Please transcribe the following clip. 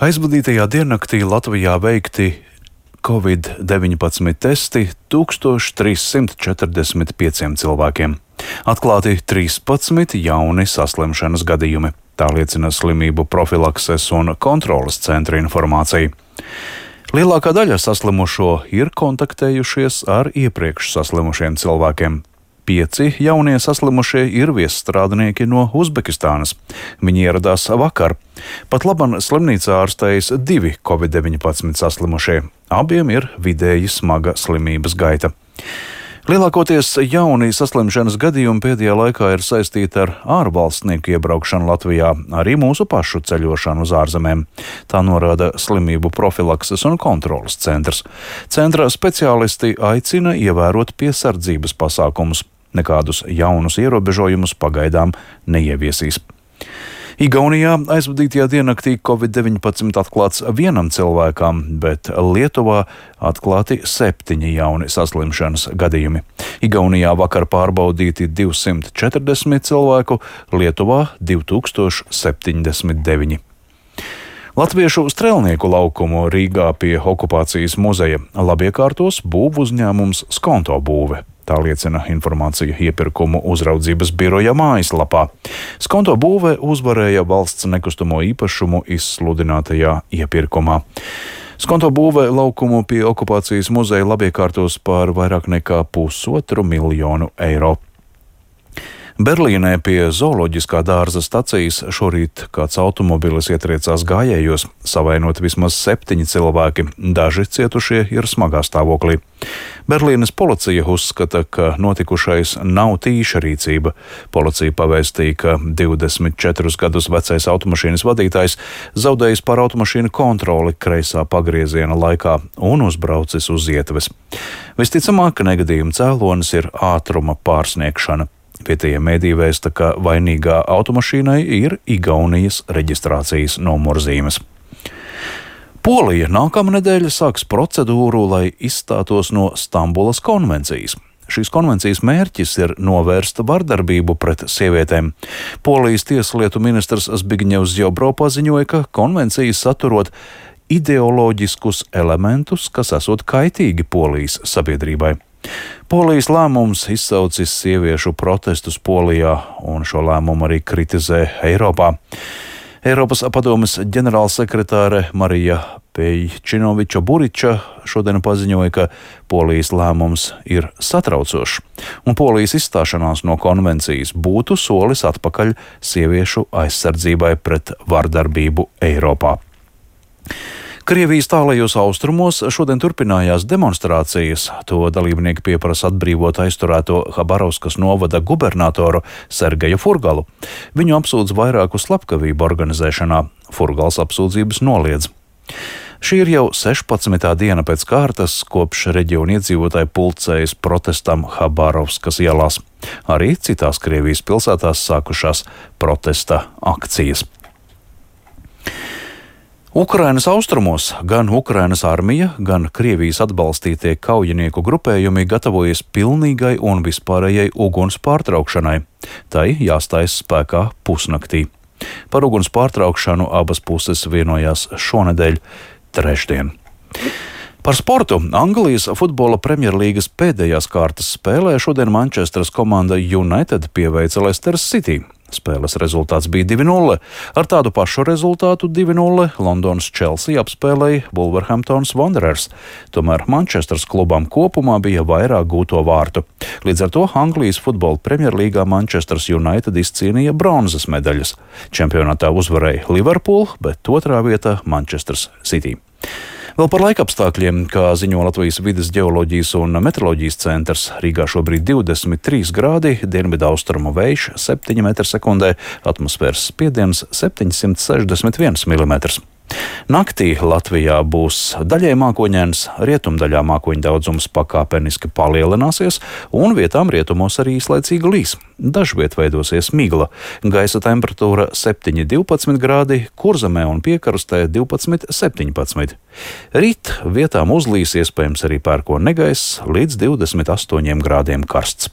Aizvadītajā diennaktī Latvijā veikti Covid-19 testi 1345 cilvēkiem. Atklāti 13 jauni saslimšanas gadījumi. Tā liecina slimību profilakses un kontroles centra informācija. Lielākā daļa saslimušo ir kontaktējušies ar iepriekš saslimušiem cilvēkiem. 5 jaunie saslimušie ir viesstrādnieki no Uzbekistānas. Viņi ieradās vakar. Pat laban slimnīcā ārstējas 2 Covid-19 saslimušie. Abiem ir vidēji smaga slimības gaita. Lielākoties jauni saslimšanas gadījumi pēdējā laikā ir saistīti ar ārvalstnieku iebraukšanu Latvijā, arī mūsu pašu ceļošanu uz ārzemēm. Tā norāda slimību profilakses un kontroles centrs. Centra speciālisti aicina ievērot piesardzības pasākumus. Nekādus jaunus ierobežojumus pagaidām neieviesīs. Igaunijā aizvadītajā diennaktī Covid-19 atklāts vienam cilvēkam, bet Lietuvā atklāti 7 jauni saslimšanas gadījumi. Igaunijā vakar pārbaudīti 240 cilvēku, Lietuvā 2079. Latviešu strelnieku laukumu Rīgā pie okupācijas muzeja labiekārtos būvu uzņēmums Skonto būve. Tā liecina informācija iepirkumu uzraudzības biroja mājaslapā. Skonto būve uzvarēja valsts nekustamo īpašumu izsludinātajā iepirkumā. Skonto būve laukumu pie okupācijas muzeja labiekārtos par vairāk nekā 1,5 miljonu eiro. Berlīnē pie zooloģiskā dārza stacijas šorīt kāds automobilis ietriecās gājējos, savainot vismaz 7 cilvēki, daži cietušie ir smagā stāvoklī. Berlīnes policija uzskata, ka notikušais nav tīša rīcība. Policija pavēstīja, ka 24 gadus vecais automašīnas vadītājs zaudējis pār automašīnu kontroli kreisā pagrieziena laikā un uzbraucis uz ietves. Visticamāk, ka negadījuma cēlonis ir ātruma pārsniegšana. Vietējie mediji vēsta, ka vainīgā automašīnai ir Igaunijas reģistrācijas numurzīmes. Polija nākamnedēļ sāks procedūru, lai izstātos no Stambulas konvencijas. Šīs konvencijas mērķis ir novērst vardarbību pret sievietēm. Polijas tieslietu ministrs Zbigņevs Ziobro paziņoja, ka konvencija saturot ideoloģiskus elementus, kas esot kaitīgi Polijas sabiedrībai. Polijas lēmums izsaucis sieviešu protestus Polijā, un šo lēmumu arī kritizē Eiropā. Eiropas padomes ģenerālsekretāre Marija Pejčinoviča-Buriča šodien paziņoja, ka Polijas lēmums ir satraucošs, un Polijas izstāšanās no konvencijas būtu solis atpakaļ sieviešu aizsardzībai pret vardarbību Eiropā. Krievijas tālajos austrumos šodien turpinājās demonstrācijas. To dalībnieki pieprasa atbrīvot aizturēto Habarovskas novada gubernatoru Sergeju Furgalu. Viņu apsūdz vairāku slepkavību organizēšanā. Furgals apsūdzības noliedz. Šī ir jau 16. diena pēc kārtas, kopš reģiona iedzīvotāji pulcējas protestam Habarovskas ielās. Arī citās Krievijas pilsētās sākušās protesta akcijas. Ukrainas austrumos gan Ukrainas armija, gan Krievijas atbalstītie kaujinieku grupējumi gatavojas pilnīgai un vispārējai uguns pārtraukšanai. Tai jāstājas spēkā pusnaktī. Par uguns pārtraukšanu abas puses vienojās šonedēļ trešdien. Par sportu Anglijas futbola Premjerlīgas pēdējās kārtas spēlē šodien Manchesteras komanda United pieveica Leicester City. Spēles rezultāts bija 2-0. Ar tādu pašu rezultātu 2-0 Londonas Chelsea apspēlēja Wolverhamptons Wanderers. Tomēr Manchesteras klubam kopumā bija vairāk gūto vārtu. Līdz ar to Anglijas futbola Premjerlīgā Manchesteras United izcīnīja bronzas medaļas. Čempionātā uzvarēja Liverpool, bet otrā vietā Manchesteras City. Vēl par laikapstākļiem, kā ziņo Latvijas vides ģeoloģijas un meteoroloģijas centrs, Rīgā šobrīd 23 grādi, dienvidaustrumu vējš 7 m/sekundē, atmosfēras spiediens 761 mm. Naktī Latvijā būs daļai mākoņains, rietumdaļā mākoņu daudzums pakāpeniski palielināsies un vietām rietumos arī īslaicīgi līs. Dažviet veidosies migla. Gaisa temperatūra 7–12 grādi, Kurzemē un Piekarstē 12–17. Rīt vietām uzlīs, iespējams arī pērkona negaiss līdz 28 grādiem karsts.